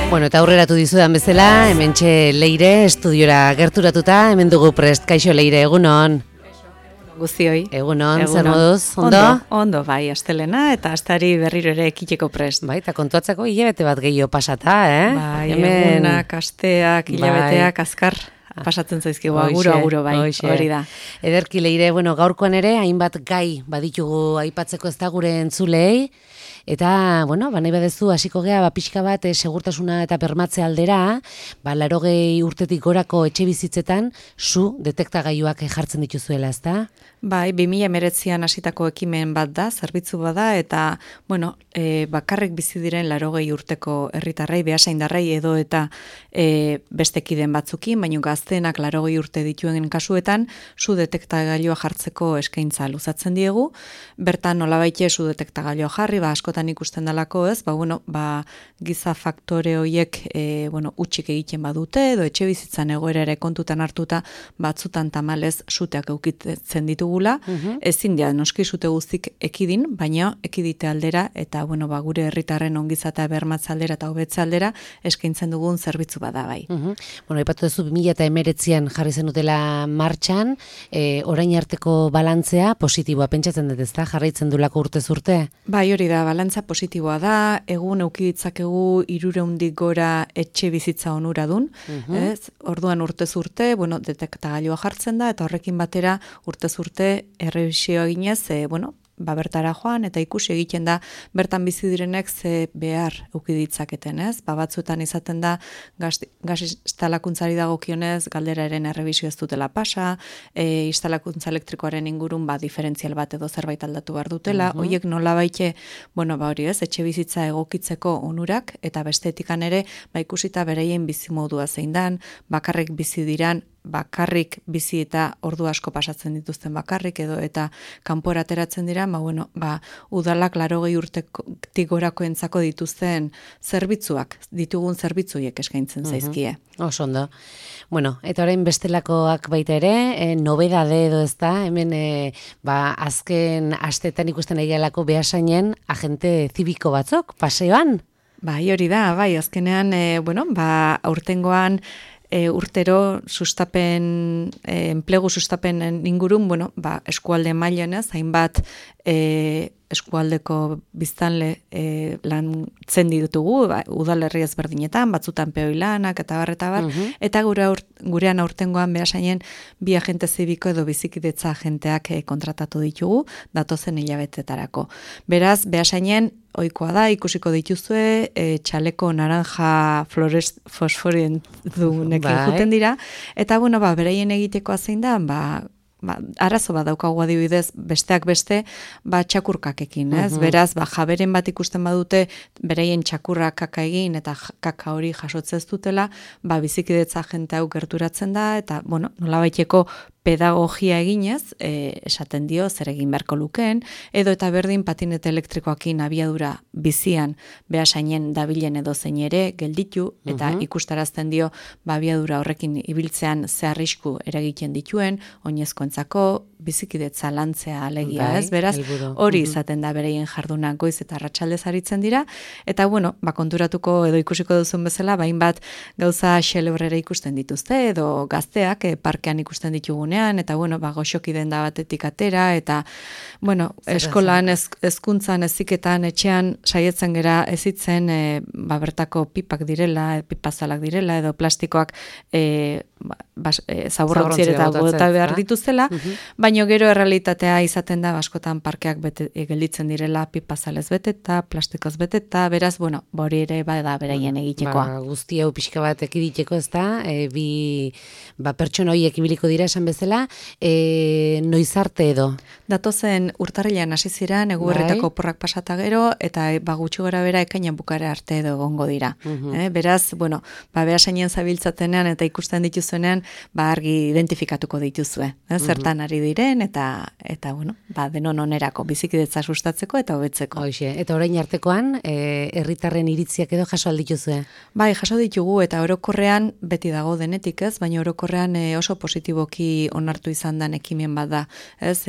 Bueno, eta aurreratu dizudan bezala, hementxe Leire estudiora gerturatuta, hemen dugu prest. Kaixo Leire, egunon. Guztioi. Egunon, zer moduz, ondo? Ondo, bai, astelena eta astari berriro ere ekiteko prest. Bai, eta kontuatzeko hilabete bat gehiago pasata, Bai, egunak, asteak, hilabeteak, azkar pasatzen zaizkigu, aguro, bai, hori da. Ederki Leire, bueno, gaurkoan ere, hainbat gai baditugu aipatzeko ez da gure entzulei, eta, bueno, nahi badezu hasiko gea, pixka bat segurtasuna eta bermatze aldera, 80 urtetik gorako etxe bizitzetan, su detektagailuak jartzen dituzuela, ez da? Bai, 2019an hasitako ekimen bat da, zerbitzu bada, eta, bueno, bakarrik bizi diren 80 urteko herritarrei, behasaindarrei edo eta bestekiden batzukin, baina gazteenak 80 urte dituen kasuetan, su detektagailua jartzeko eskaintza luzatzen diegu. Bertan nolabaite su detektagailua jarri, askotan ikusten dalako, ez? Giza faktore horiek utzik egiten badute edo etxe bizitzan egoera ere kontutan hartuta batzutan tamalez suteak eukitzen ditugula. Ezin dira noski sute guztik ekidin, baina ekidite aldera eta gure herritarren ongizatea bermatze aldera eta hobetze aldera eskaintzen dugun zerbitzu bada bai. Aipatu duzu 2019an jarri zenutela martxan, orain arteko balantzea positiboa pentsatzen dut, ezta? Jarraitzen dulako urtez urte? Bai, hori da, balantza positiboa da, egun eukiditzakegu 300 gora etxe bizitza onuradun, ez? Orduan urtez urte, detektagailua jartzen da, eta horrekin batera urtez urte errebisio eginez, bertara joan, eta ikusi egiten da, bertan bizi direnek ze behar eukiditzaketen, ez? Batzuetan izaten da, gaz instalakuntzari dagokionez, galderaren errebisio ez dutela pasa, instalakuntza elektrikoaren ingurun, diferentzial bat edo zerbait aldatu behar dutela, horiek nola baite, hori ez, etxe bizitza egokitzeko onurak, eta bestetikan ere, ikusita bereien bizimodua zein dan, bakarrik bizi diran, bakarrik bizi eta ordu asko pasatzen dituzten bakarrik edo eta kanpora ateratzen dira, udalak 80 urtetik gorakoentzako dituzten zerbitzuak, ditugun zerbitzuiek eskaintzen zaizkie. Oso ondo. Eta orain bestelakoak baita ere, nobedade edo ez da, hemen azken astetan ikusten egialako behasainen agente zibiko batzuk, paseoan? Bai, hori da, azkenean, aurtengoan, urtero enplegu sustapen ingurun, eskualde mailan ez, hainbat eskualdeko biztanle lantzen ditugu, udalerri ezberdinetan, batzutan peoilanak eta bar, eta gurean aurtengoan behasainen bi agente zibiko edo bizikidetza agenteak kontratatu ditugu, datozen hilabetetarako. Beraz, behasainen ohikoa da, ikusiko dituzue, txaleko naranja fosforientunekin juten dira, eta bereien egitekoa zein da, arazo bat daukagu adibidez, besteak beste, txakurkakekin, ez? Beraz, jaberen bat ikusten badute, bereien txakurrak kaka egin, eta kaka hori jasotzez dutela, bizikidetza agente hau gerturatzen da, eta, nolabaiteko pedagogia eginez, esaten dio, zer egin beharko lukeen, edo eta berdin patinete elektrikoakin abiadura bizian behasainen dabilen edo zein ere gelditu, eta ikustarazten dio, abiadura horrekin ibiltzean ze arrisku eragiten dituen, oinezkoentzako bizikidetza lantzea alegia, ez? Beraz, hori izaten da bereien jardunak goiz eta arratsaldez aritzen dira, eta konturatuko edo ikusiko duzun bezala, hainbat gauza xelebrera ikusten dituzte, edo gazteak parkean ikusten ditugunean, eta goxoki denda batetik atera, eta eskolan, hezkuntzan, heziketan, etxean saietzen gera ezitzen bertako pipak direla, pipazalak direla, edo plastikoak zaborrontzier eta bota behar dituzela, baina gero errealitatea izaten da, askotan parkeak gelditzen direla, pipazalez beteta, plastikoz beteta, beraz, hori ere bada beraien egitekoa. Guzti hau pixka bat ekiditeko ez da, pertsona horiek ibiliko dira esan bezala, noiz arte edo? Datozen urtarrilean hasi ziren, eguberritako porrak pasata gero, eta gutxi gora bera ekainan bukare arte edo egongo dira. Beraz, behasainen zabiltzatenean eta ikusten dituzuenean, argi identifikatuko dituzue. Zertan ari diren, eta denon onerako bizikidetza sustatzeko eta hobetzeko. Eta orain artekoan, herritarren iritziak edo jaso aldituzue? Bai, jaso ditugu, eta orokorrean beti dago denetik ez, baina orokorrean oso positiboki onartu izan dan ekimen bat da.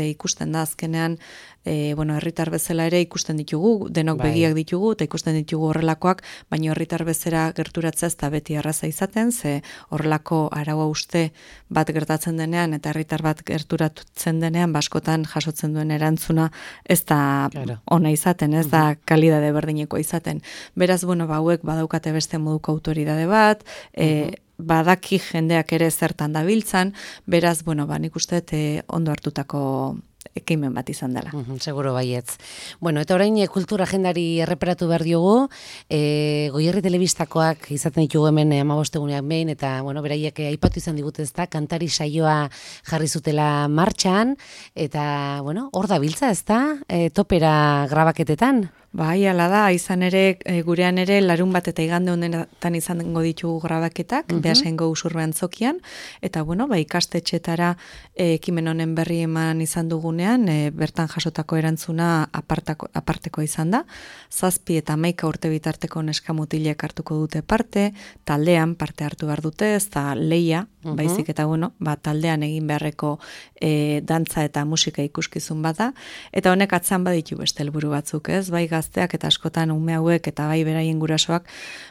Ikusten da azkenean bueno, herritar bezala ere ikusten ditugu, denok begiak ditugu, eta ikusten ditugu horrelakoak, baina herritar bezala gerturatzea ez da beti erraza izaten, ze horrelako araua uste bat gertatzen denean, eta herritar bat gerturatzen denean, baskotan jasotzen duen erantzuna ez da ona izaten, ez da kalidade berdineko izaten. Beraz, bueno, hauek badaukate beste moduko autoridade bat, badaki jendeak ere zertan dabiltzan, beraz, bueno, nik uste ondo hartutako ekimen bat izan dela. Seguro baietz. Bueno, eta orain kultura agendari erreparatu behar diogu, Goierri Telebistakoak izaten ditugu hemen 15 eguneak behin, eta, bueno, beraiek aipatu izan digute ez da, kantari saioa jarri zutela martxan, eta, bueno, hor da biltza ez da, topera grabaketetan. Bai, ala da, izan ere, gurean ere, larun bat eta igande honetan izango ditugu grabaketak, Beasaingo Usurbe Antzokian, eta, bueno, ikastetxetara ekimen honen berri eman izan dugunean, bertan jasotako erantzuna aparteko izan da, 7 eta 11 urte bitarteko neskamutilek hartuko dute parte, taldean parte hartu behar dute, ez da leia, baizik eta, bueno, taldean egin beharreko dantza eta musika ikuskizun bada, eta honek atzan baditu beste helburu batzuk, ez, bai gazteak eta askotan ume hauek eta bai beraien gurasoak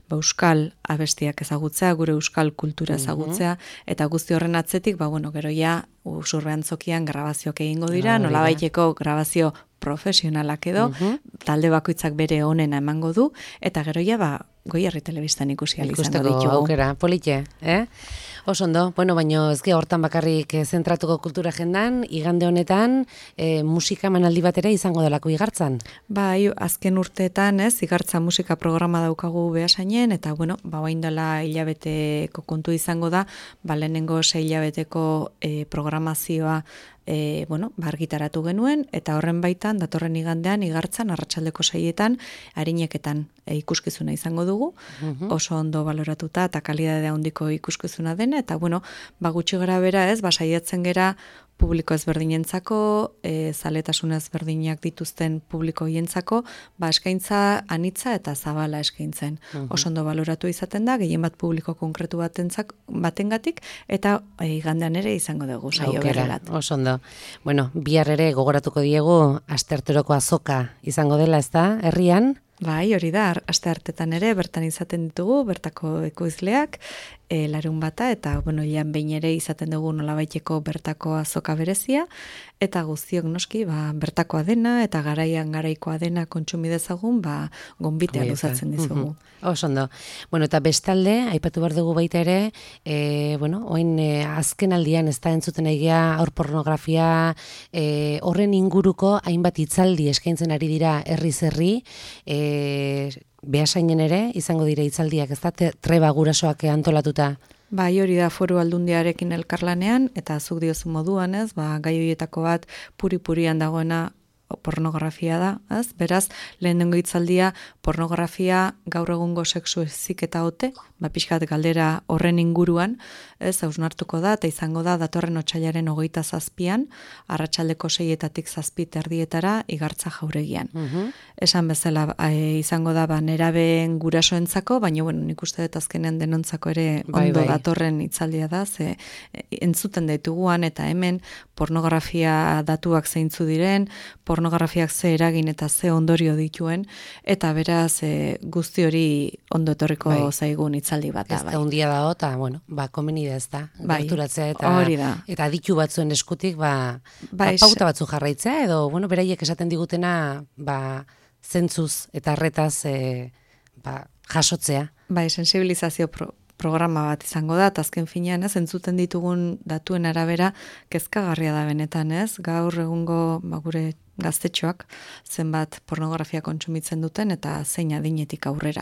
euskal abestiak ezagutzea, gure euskal kultura ezagutzea, eta guzti horren atzetik, bueno, gero ja Usurbe Antzokian grabazioak egingo dira, nolabaiteko grabazio profesionalak edo, talde bakoitzak bere onena emango du, eta gero ja, Goierri Telebistan ikusi izango ditugu. Ikusteko aukera, politxe, Oso ondo, bueno, baina ez hortan bakarrik zentratuko kultura agendan, igande honetan musika emanaldi bat ere izango delako Igartzan. Bai, azken urteetan, Igartza musika programa daukagu Beasainen, eta, bueno, bain dela hilabeteko kontu izango da, lehenengo 6 hilabeteko programazioa bueno, argitaratu genuen, eta horren baitan, datorren igandean, Igartzan, arratsaldeko 6etan, arineketan ikuskizuna izango dugu, oso ondo baloratuta, eta kalidadea handiko ikuskizuna dena, eta, bueno, gutxi gara bera ez, saiatzen gera publiko ezberdinentzako, zaletasun ezberdinak dituzten publiko hientzako, eskaintza anitza eta zabala eskaintzen. Oso ondo baloratu izaten da, gehien bat publiko konkretu batengatik, eta igandean ere izango dugu saio berri bat. Oso ondo. Bueno, bihar ere gogoratuko diegu astearteroko azoka izango dela, ez da, herrian? Bai, hori da, asteartetan ere, bertan izaten ditugu, bertako ekoizleak, larun bata, eta, bueno, ian behin ere izaten dugu nolabaiteko bertako azoka berezia, eta guztiok noski, bertakoa dena, eta garaikoa dena kontsumi dezagun, gonbitea luzatzen dizugu. Oso ondo. Bueno, eta bestalde, aipatu behar dugu baita ere, bueno, oin azken aldian ez da entzuten egia aur pornografia, horren inguruko hainbat hitzaldi eskaintzen ari dira herriz herri, Beasainen ere, izango dire hitzaldiak, ez da, treba gurasoak antolatuta? Bai, hori da Foru Aldundiarekin elkarlanean, eta zuk diozu moduan, ez, gai horietako bat puri-purian dagoena pornografia da, ez? Beraz, lehenengo hitzaldia pornografia gaur egungo sexu heziketa ote, pixkat galdera horren inguruan, ez, hausnartuko da, eta izango da datorren otsailaren 27an, arratsaldeko 6etatik 7 Igartza jauregian. Esan bezala izango da nerabeen gurasoentzako, baina bueno, nik uste dut azkenean denontzako ere ondo datorren hitzaldia da, ze entzuten dituguan eta hemen pornografia datuak zeintzu diren, pornografiak ze eragin eta ze ondorio dituen, eta beraz guzti hori ondo etorriko zaigun hitzaldi bat da. Ez da hundia da, eta, bueno, komeni da ez da, gerturatzea eta aditu batzuen eskutik, pauta batzu jarraitzea, edo, bueno, beraiek esaten digutena, zentzuz eta arretaz jasotzea. Sensibilizazio programa bat izango da, eta azken finean, entzuten ditugun datuen arabera, kezkagarria da benetan, ez? Gaur egungo gure gaztetxoak zenbat pornografia kontsumitzen duten eta zein adinetik aurrera.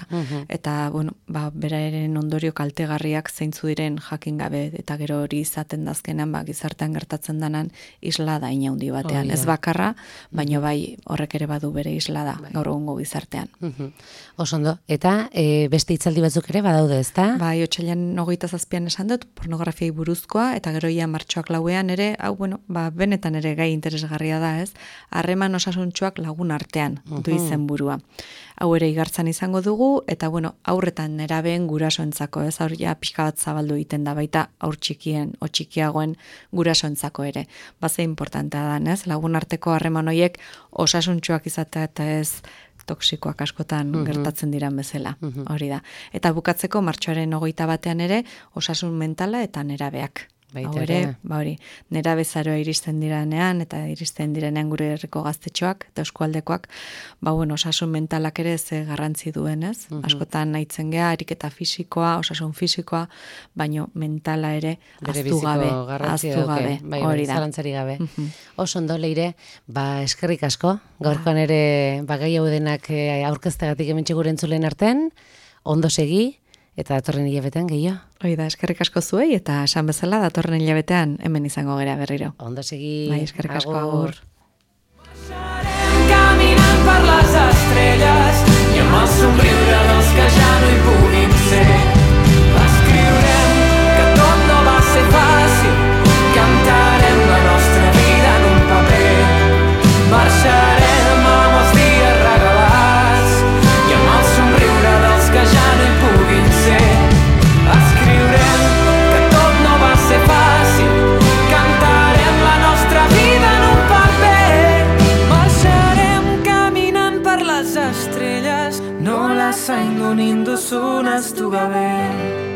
Eta, bueno, beraren ondorio kaltegarriak zeintzu diren jakin gabe, eta gero hori izaten dazkenan, gizartean gertatzen danan islada inaundi batean. Ez bakarra, baino bai horrek ere badu bere islada gaur egungo gizartean. Osondo, eta beste hitzaldi batzuk ere badaude, ezta? Bai, otsailean 27an esan dut, pornografiai buruzkoa, eta gero ia martxoak 4ean ere, hau, bueno, benetan ere gai interesgarria da, ez? harreman osasuntsuak lagun artean du izenburua. Hau ere igartzan izango dugu, eta bueno, aurretan nerabeen gurasoentzako, ez aur ja pixka bat zabaldu egiten da baita aur txikien o txikiagoen gurasoentzako ere. Baze importantea da, ez? Lagun arteko harreman horiek osasuntsuak izatea eta ez toksikoak askotan gertatzen diran bezala, hori da. Eta bukatzeko martxoaren 21 ere osasun mentala eta nerabeak. Hau ere, hori, nerabezaroa iristen diranean eta iristen direnean gure herriko gaztetxoak eta eskualdekoak, osasun mentalak ere ze garrantzi duen, ez? Askotan nahitzen gea, ariketa fisikoa, osasun fisikoa, baino mentala ere aztu gabe, hori da. Zalantzari gabe. Oso ondo, Leire, eskerrik asko, gaurkoan ere gai hau denak aurkeztegatik hementxe gure entzulen artean, ondo segi, eta datorren hilabetean gehiago. Hoi da, eskerrik asko zuei, eta esan bezala datorren hilabetean hemen izango gera berriro. Ondo segi, eskerrik asko, agur. Caminant per les estrelles i amb el somriure dels que ja no hi puguin ser. Escriurem que tot no va ser fàcil, cantarem la nostra vida en un paper. Marxarem amb els dies regalats i amb el somriure dels que ja no hi puguin ser. Escriurem que tot no va ser fàcil, cantarem la nostra vida en un paper. Marxarem caminant per les estrelles, no las indonindu sunas tu gabe.